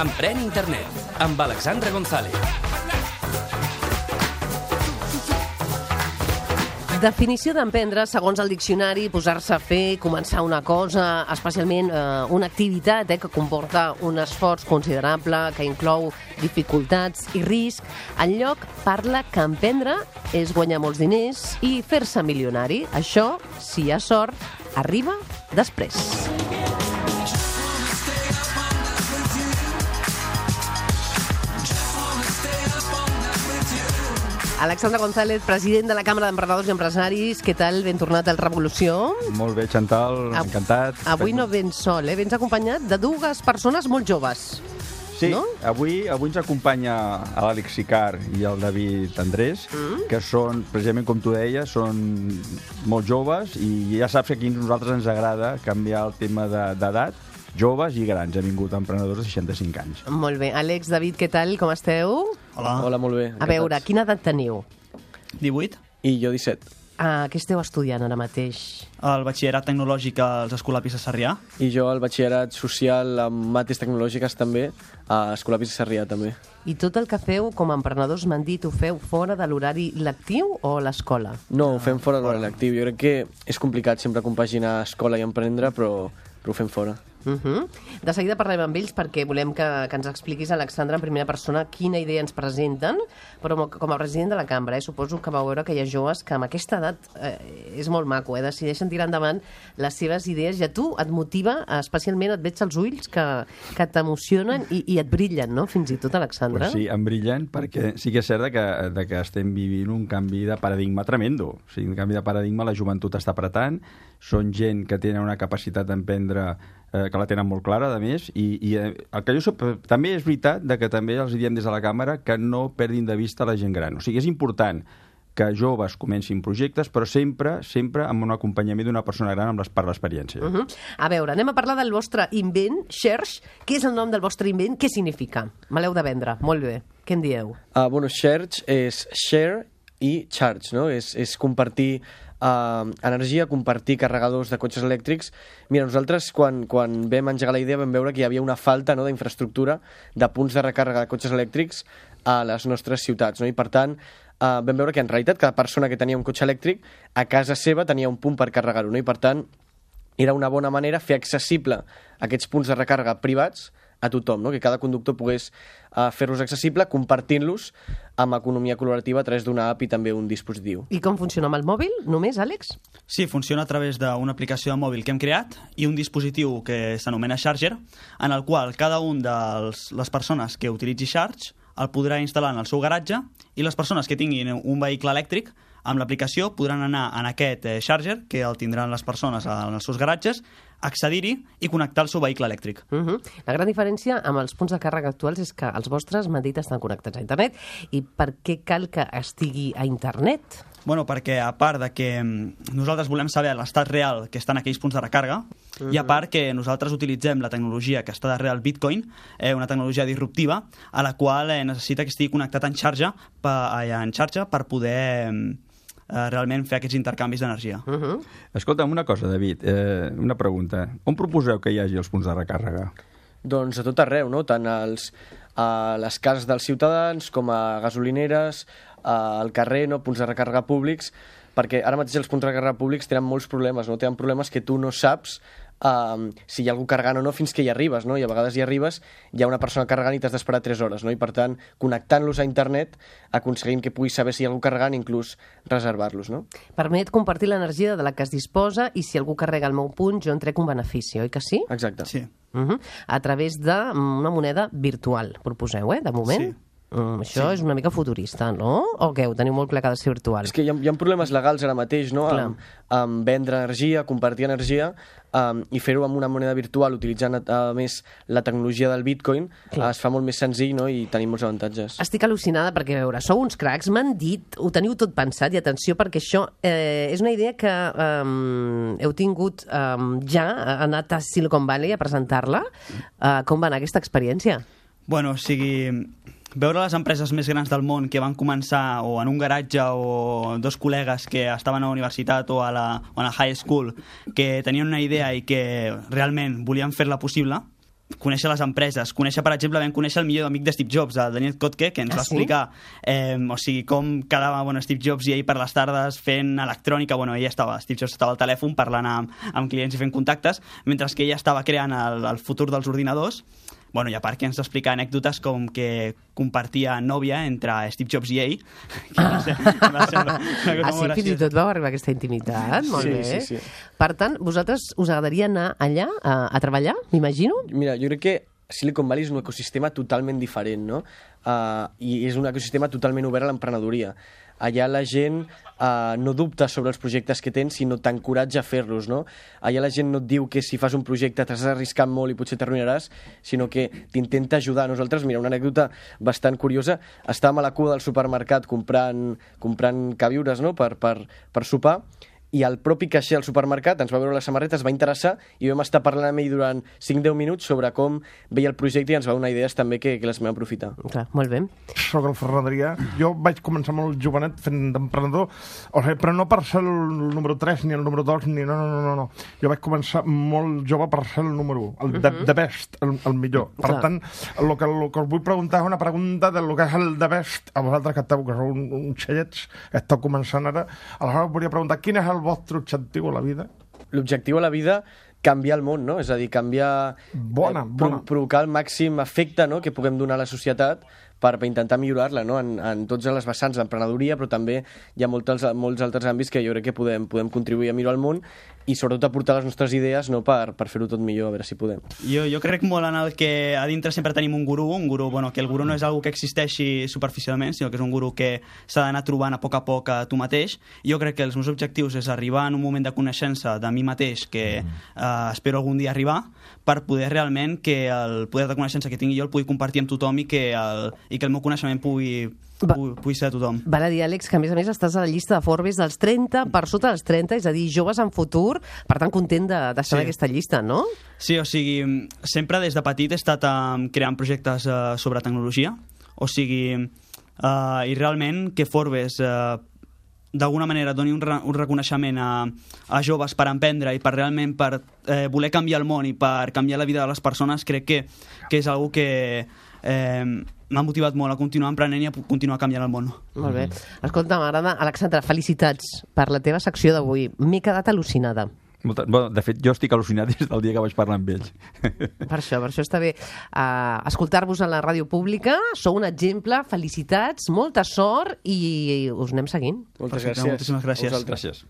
Emprèn Internet, amb Alexandra González. Definició d'emprendre, segons el diccionari, posar-se a fer, començar una cosa, especialment una activitat que comporta un esforç considerable, que inclou dificultats i risc. Enlloc parla que emprendre és guanyar molts diners i fer-se milionari. Això, si hi ha sort, arriba després. Alexandra González, president de la Càmera d'Emprenedors i Empresaris. Què tal? Ben tornat al Revolució. Molt bé, Chantal, encantat. Avui no vens sol, vens acompanyat de dues persones molt joves. Sí, no? avui ens acompanya l'Àlex Sicart i el David Andrés, que són, precisament com tu deies, són molt joves i ja saps que aquí a nosaltres ens agrada canviar el tema d'edat. Joves i grans, hem vingut emprenedors de 65 anys. Molt bé. Àlex, David, què tal? Com esteu? Hola, molt bé. A veure, quina edat teniu? 18. I jo 17. Què esteu estudiant ara mateix? El batxillerat tecnològic als Escolapis de Sarrià. I jo el batxillerat social amb mates tecnològiques també, a Escolapis de Sarrià també. I tot el que feu com a emprenedors, m'han dit, ho feu fora de l'horari lectiu o a l'escola? No, ho fem fora de l'horari lectiu. Jo crec que és complicat sempre compaginar escola i emprendre, però ho fem fora. De seguida parlem amb ells perquè volem que ens expliquis, Alexandra, en primera persona quina idea ens presenten, però com a president de la cambra, suposo que vau veure que hi ha joves que amb aquesta edat és molt maco, decideixen tirar endavant les seves idees i a tu et motiva, especialment et veig als ulls que t'emocionen i et brillen, no? Fins i tot, Alexandra. Pues sí, em brillen perquè sí que és cert que estem vivint un canvi de paradigma tremendo. O sigui, un canvi de paradigma, la joventut està apretant, són gent que tenen una capacitat d'emprendre que la tenen molt clara, a més, i el que jo soc, també és veritat que també els diem des de la càmera que no perdin de vista la gent gran. O sigui, és important que joves comencin projectes, però sempre amb un acompanyament d'una persona gran per l'experiència. A veure, anem a parlar del vostre invent, Xerx. Què és el nom del vostre invent? Què significa? Me l'heu de vendre. Molt bé. Què en dieu? Bueno, Xerx és share i charge, no? És compartir energia, compartir carregadors de cotxes elèctrics. Mira, nosaltres quan vam engegar la idea vam veure que hi havia una falta d'infraestructura de punts de recàrrega de cotxes elèctrics a les nostres ciutats, no? I per tant vam veure que en realitat cada persona que tenia un cotxe elèctric a casa seva tenia un punt per carregar-ho, no? I per tant era una bona manera fer accessible aquests punts de recàrrega privats a tothom, no? Que cada conductor pogués fer-los accessible compartint-los amb economia col·laborativa a través d'una app i també un dispositiu. I com funciona amb el mòbil? Només, Àlex? Sí, funciona a través d'una aplicació de mòbil que hem creat i un dispositiu que s'anomena Charger, en el qual cada un de les persones que utilitzi Charge el podrà instal·lar en el seu garatge i les persones que tinguin un vehicle elèctric amb l'aplicació podran anar en aquest Charger, que el tindran les persones en els seus garatges, accedir-hi i connectar el seu vehicle elèctric. La gran diferència amb els punts de càrrega actuals és que els vostres, m'han dit, estan connectats a internet. I per què cal que estigui a internet? Bueno, perquè a part de que nosaltres volem saber l'estat real que estan aquells punts de recàrrega, i a part que nosaltres utilitzem la tecnologia que està darrere el Bitcoin, una tecnologia disruptiva, a la qual necessita que estigui connectat en xarxa per poder realment fer aquests intercanvis d'energia. Escolta'm, una cosa, David, una pregunta. On proposeu que hi hagi els punts de recàrrega? Doncs a tot arreu, no? Tant a les cases dels ciutadans com a gasolineres, al carrer, no? Punts de recàrrega públics, perquè ara mateix els punts de recàrrega públics tenen molts problemes, no? Tenen problemes que tu no saps si hi ha algú carregant o no fins que hi arribes, no? I a vegades hi arribes, hi ha una persona carregant i t'has d'esperar 3 hores, no? I per tant, connectant-los a internet aconseguim que puguis saber si hi ha algú carregant i inclús reservar-los, no? Permet compartir l'energia de la que es disposa i si algú carrega el meu punt jo en trec un benefici, oi que sí? Exacte. Sí. A través d'una moneda virtual, proposeu, de moment? Sí. Això és una mica futurista, no? O què? Ho teniu molt clar que ha de ser virtual? És que hi ha problemes legals ara mateix, no? Amb vendre energia, compartir energia i fer-ho amb una moneda virtual utilitzant a més la tecnologia del Bitcoin es fa molt més senzill, no? I tenim molts avantatges. Estic al·lucinada perquè, a veure, sou uns cracs, m'han dit, ho teniu tot pensat, i atenció perquè això és una idea que heu tingut ja, anat a Silicon Valley a presentar-la. Com va anar aquesta experiència? Bueno, o sigui, veure les empreses més grans del món que van començar o en un garatge o dos col·legues que estaven a la universitat o a la high school que tenien una idea i que realment volien fer-la possible, conèixer les empreses, conèixer, per exemple, vam conèixer el millor amic de Steve Jobs, el Daniel Kotke, que ens va explicar o sigui, com quedava Steve Jobs i ell per les tardes fent electrònica. Steve Jobs estava al telèfon parlant amb clients i fent contactes, mentre que ella estava creant el futur dels ordinadors. I a part que ens explica anècdotes com que compartia nòvia entre Steve Jobs i ell. Fins i tot vau arribar a aquesta intimitat? Molt bé. Sí. Per tant, vosaltres us agradaria anar allà a treballar, m'imagino? Mira, jo crec que Silicon Valley és un ecosistema totalment diferent, no? I és un ecosistema totalment obert a l'emprenedoria. Allà la gent no dubta sobre els projectes que tens, sinó t'encoratja a fer-los, no? Allà la gent no et diu que si fas un projecte t'has d'arriscar molt i potser t'arruïnaràs, sinó que t'intenta ajudar. Nosaltres, mira, una anècdota bastant curiosa, estàvem a la cua del supermercat comprant queviures, no?, per sopar, i el propi caixer al supermercat ens va veure les samarretes, va interessar i vam estar parlant amb ell durant 5-10 minuts sobre com veia el projecte i ens va donar idees també que les vam aprofitar. Clar, molt bé. Soc el Ferran Adrià. Jo vaig començar molt jovenet fent d'emprenedor, però no per ser el número 3 ni el número 2, ni no. Jo vaig començar molt jove per ser el número 1, the best, el millor. Per tant, el que us vull preguntar és una pregunta del que és el the best, a vosaltres que sou uns xellets, que esteu començant ara. Aleshores volia preguntar, quin és el vostre objectiu a la vida? L'objectiu a la vida, canviar el món, no? És a dir, canviar... provocar el màxim efecte, no?, que puguem donar a la societat per intentar millorar-la, no?, en tots les vessants d'emprenedoria, però també hi ha molts altres àmbits que jo crec que podem contribuir a millorar el món i sobretot aportar les nostres idees, no?, per fer-ho tot millor, a veure si podem. Jo crec molt en el que a dintre sempre tenim un gurú, que el gurú no és algo que existeixi superficialment, sinó que és un gurú que s'ha d'anar trobant a poc a tu mateix. Jo crec que els meus objectius és arribar en un moment de coneixença de mi mateix que espero algun dia arribar, per poder realment que el poder de coneixença que tingui jo el pugui compartir amb tothom i que el meu coneixement pugui ser a tothom. Val a dir, Àlex, que a més estàs a la llista de Forbes dels 30 per sota dels 30, és a dir, joves en futur, per tant content d'estar en aquesta llista, no? Sí, o sigui, sempre des de petit he estat creant projectes sobre tecnologia, o sigui, i realment que Forbes d'alguna manera doni un reconeixement a joves per emprendre i per realment per voler canviar el món i per canviar la vida de les persones, crec que és algo que m'ha motivat molt a continuar emprenent i a continuar canviant el món. Molt bé. Escolta, m'agrada, Alexandra, felicitats per la teva secció d'avui. M'he quedat al·lucinada. De fet, jo estic al·lucinat des del dia que vaig parlar amb ells. Per això està bé escoltar-vos a la ràdio pública. Sou un exemple, felicitats, molta sort i us anem seguint. Moltes gràcies. Moltíssimes gràcies. Gràcies.